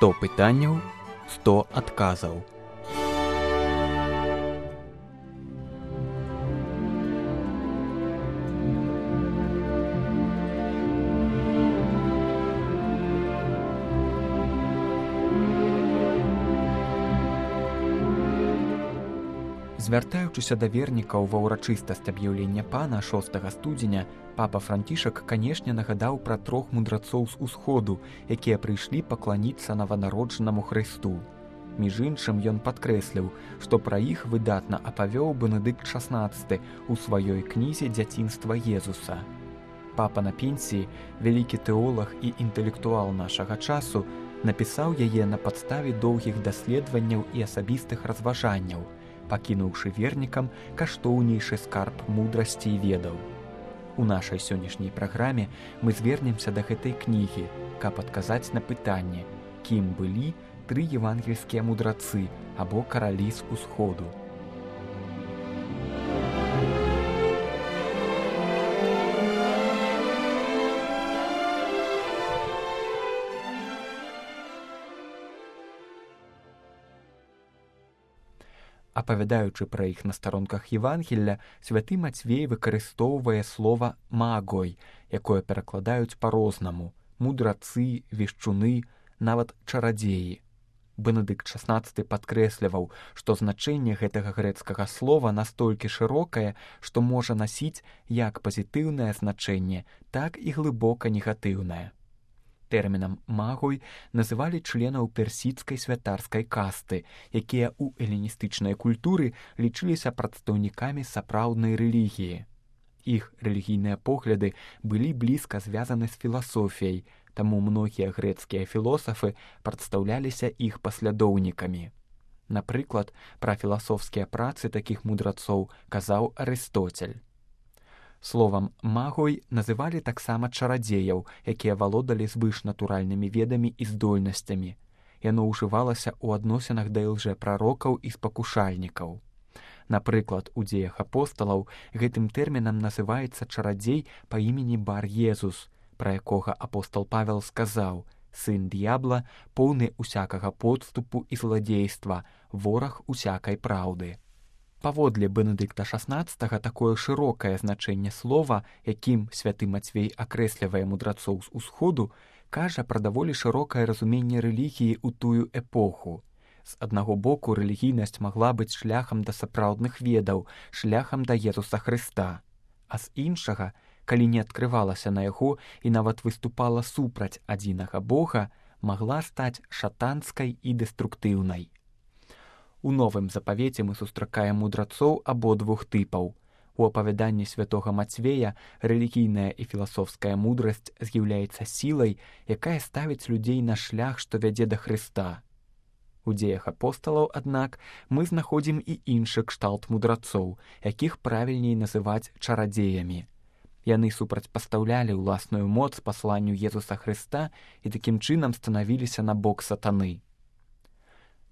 100 пытанняў, 100 адказаў. Звяртаючыся да вернікаў ва ўрачыстасць аб'яўлення пана 6 студзеня, папа Францішак, канешне, нагадаў пра 3 мудрацоў з усходу, якія прыйшлі пакланіцца нованароджанаму Хрысту. Між іншым, ён падкрэсліў, што пра іх выдатна апавёў Бенедыкт XVI у сваёй кнізе «Дзяцінства Езуса». Папа на пенсіі, вялікі тэолаг і інтэлектуал нашага часу, напісаў яе на падставе доўгіх даследаванняў і асабістых разважанняў, пакінуўшы вернікам каштоўнейшы скарб мудрасці і ведаў. У нашай сённяшняй праграме мы звернемся да гэтай кнігі, каб адказаць на пытанне, кім былі 3 евангельскія мудрацы або каралі з усходу. Апавядаючы пра іх на старонках Евангелля, святы Мацвей выкарыстоўвае слова «магой», якое перакладаюць па-рознаму – мудрацы, вешчуны, нават чарадзеі. Бенедыкт XVI падкрэсліваў, што значэнне гэтага грэцкага слова настолькі шырокае, што можа насіць як пазітыўнае значэнне, так і глыбока негатыўнае. Тэрмінам «магой» называлі членаў персідскай святарскай касты, якія ў эліністычнай культуры лічыліся прадстаўнікамі сапраўднай рэлігіі. Іх рэлігійныя погляды былі блізка звязаны з філасофіяй, таму многія грэцкія філосафы прадстаўляліся іх паслядоўнікамі. Напрыклад, пра філасофскія працы такіх мудрацоў казаў Арыстоцель. Словам «магой» называлі таксама чарадзеяў, якія валодалі звышнатуральнымі ведамі і здольнасцямі. Яно ўжывалася ў адносінах да лжэпрарокаў і спакушальнікаў. Напрыклад, у дзеях апосталаў гэтым тэрмінам называецца чарадзей па імені Бар-Езус, пра якога апостал Павел сказаў: «Сын д'ябла, поўны усякага подступу і зладзейства, вораг усякай праўды». Паводле Бенедыкта XVI такое шырокае значэнне слова, якім святы Мацвей акрэслівае мудрацоў з усходу, кажа пра даволі шырокае разуменне рэлігіі ў тую эпоху. З аднаго боку, рэлігійнасць магла быць шляхам да сапраўдных ведаў, шляхам да Езуса Хрыста. А з іншага, калі не адкрывалася на яго і нават выступала супраць адзінага Бога, магла стаць шатанскай і дэструктыўнай. У новым запавеце мы сустракаем мудрацоў абодвух тыпаў. У апавяданні святога Мацвея рэлігійная і філасофская мудрасць з'яўляецца сілай, якая ставіць людзей на шлях, што вядзе да Хрыста. У дзеях апосталаў, аднак, мы знаходзім і іншы кшталт мудрацоў, якіх правільней называць чарадзеямі. Яны супрацьпастаўлялі ўласную моц пасланню Езуса Хрыста і такім чынам станавіліся на бок сатаны.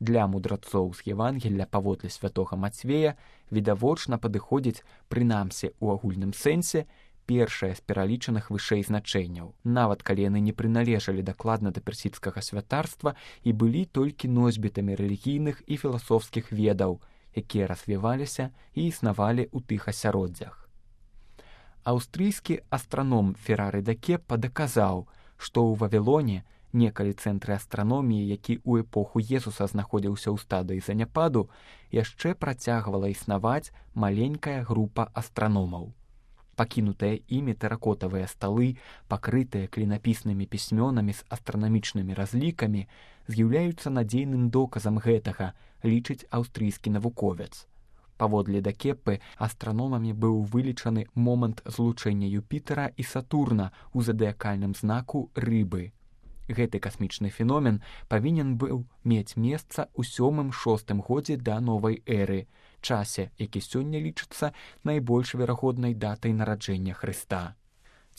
Для мудрацоў з Евангелля паводле святога Мацвея відавочна падыходзіць, прынамсі ў агульным сэнсе, першае з пералічаных вышэй значэнняў, нават калі яны не прыналежалі дакладна да персідскага святарства і былі толькі носьбітамі рэлігійных і філасофскіх ведаў, якія развіваліся і існавалі ў тых асяроддзях. Аўстрыйскі астраном Ферари да Кеппа даказаў, што ў Вавілоне, некалі цэнтры астраноміі, які ў эпоху Езуса знаходзіўся ў стадыі заняпаду, яшчэ працягвала існаваць маленькая група астраномаў. Пакінутыя імі тэракотавыя сталы, пакрытыя клінапіснымі пісьмёнамі з астранамічнымі разлікамі, з'яўляюцца надзейным доказам гэтага, лічыць аўстрыйскі навуковец. Паводле да Кеппы астраномамі быў вылічаны момант злучэння Юпітера і Сатурна ў задыякальным знаку рыбы. Гэты касмічны феномен павінен быў мець месца ў 7-6 годзе да новай эры, часе, які сёння лічыцца найбольш верагоднай датай нараджэння Хрыста.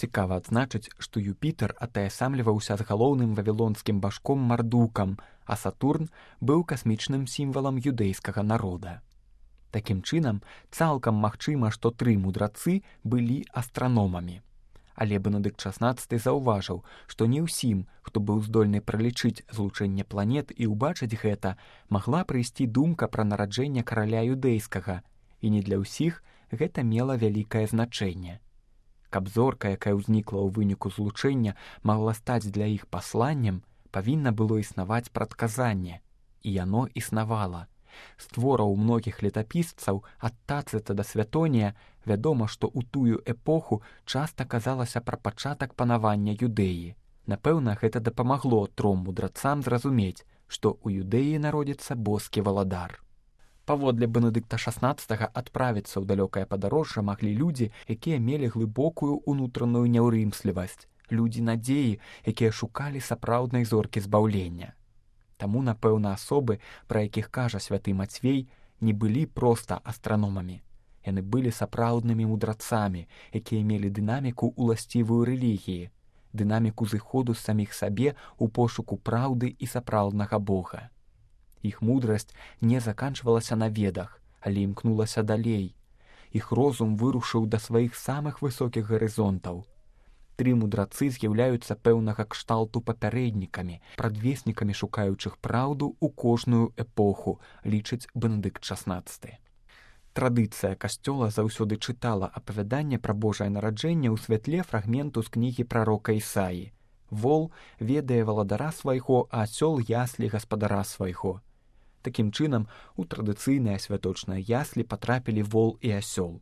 Цікава адзначыць, што Юпітер атаясамліваўся з галоўным вавілонскім башком Мардукам, а Сатурн быў касмічным сімвалам юдэйскага народа. Такім чынам, цалкам магчыма, што 3 мудрацы былі астраномамі. Але Бенедыкт XVI заўважыў, што не ўсім, хто быў здольны пралічыць злучэнне планет і ўбачыць гэта, магла прыйсці думка пра нараджэнне караля юдэйскага, і не для ўсіх гэта мела вялікае значэнне. Каб зорка, якая ўзнікла ў выніку злучэння, магла стаць для іх пасланнем, павінна было існаваць прадказанне, і яно існавала. З твораў многіх летапісцаў ад Тацыта да Святонія вядома, што ў тую эпоху часта казалася пра пачатак панавання Юдэі. Напэўна, гэта дапамагло тром мудрацам зразумець, што ў Юдэі народзіцца боскі валадар. Паводле Бенедыкта XVI адправіцца ў далёкае падарожжа маглі людзі, якія мелі глыбокую ўнутраную няўрымслівасць, людзі надзеі, якія шукалі сапраўднай зоркі збаўлення. Таму, напэўна, асобы, пра якіх кажа святы Мацвей, не былі проста астраномамі. Яны былі сапраўднымі мудрацамі, якія мелі дынаміку ўласцівую рэлігіі, дынаміку зыходу з саміх сабе ў пошуку праўды і сапраўднага Бога. Іх мудрасць не заканчвалася на ведах, але імкнулася далей. Іх розум вырушыў да сваіх самых высокіх гарызонтаў. Тры мудрацы з'яўляюцца пэўнага кшталту папярэднікамі, прадвеснікамі шукаючых праўду ў кожную эпоху, лічыць Бенедыкт XVI. Традыцыя касцёла заўсёды чытала апавяданне пра Божае нараджэнне ў святле фрагменту з кнігі прарока Ісаі. Вол ведае валадара свайго, а асёл яслі гаспадара свайго. Такім чынам, у традыцыйныя святочныя яслі патрапілі вол і асёл.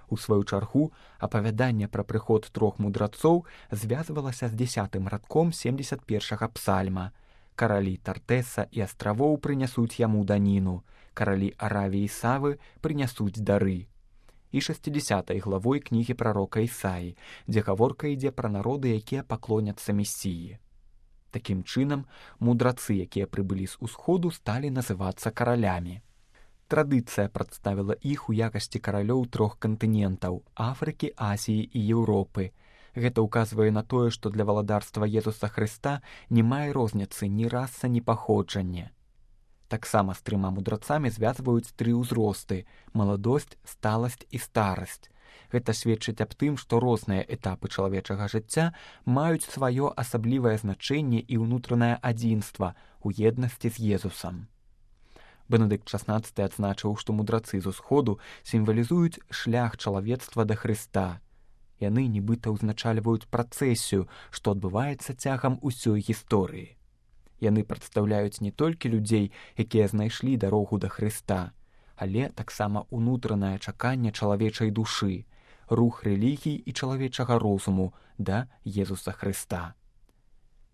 У сваю чаргу, апавяданне пра прыход трох мудрацоў звязвалася з 10-м радком 71-га псальма. Каралі Тартэса і астравоў прынясуць яму даніну, каралі Аравіі і Савы прынясуць дары. І 60-й главой кнігі прарока Ісаі, дзе гаворка ідзе пра народы, якія паклоняцца Месіі. Такім чынам, мудрацы, якія прыбылі з усходу, сталі называцца каралямі. Традыцыя прадставіла іх у якасці каралёў трох кантынентаў – Афрыкі, Азіі і Еўропы. Гэта ўказвае на тое, што для валадарства Езуса Хрыста не мае розніцы ні раса, ні паходжанне. Таксама з трыма мудрацамі звязваюць тры ўзросты – маладосць, сталасць і старасць. Гэта сведчыць аб тым, што розныя этапы чалавечага жыцця маюць сваё асаблівае значэнне і ўнутранае адзінства ў еднасці з Езусам. Бенедыкт XVI адзначыў, што мудрацы з усходу сімвалізуюць шлях чалавецтва да Хрыста. Яны нібыта ўзначальваюць працэсію, што адбываецца цягам усёй гісторыі. Яны прадстаўляюць не толькі людзей, якія знайшлі дарогу да Хрыста, але таксама ўнутранае чаканне чалавечай душы, рух рэлігій і чалавечага розуму да Езуса Хрыста.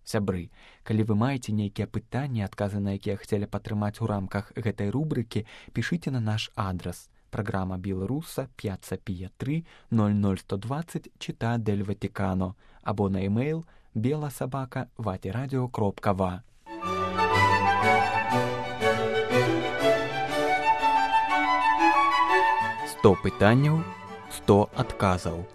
Сябры, калі вы маеце нейкія пытанні, адказы на якія хацелі падтрымаць у рамках гэтай рубрыкі, пішыце на наш адрас. Праграма Беларуса 5P3 00120 Città del Vaticano або на e-mail bela@vatiradio.va. 100 пытанняў, 100 адказаў.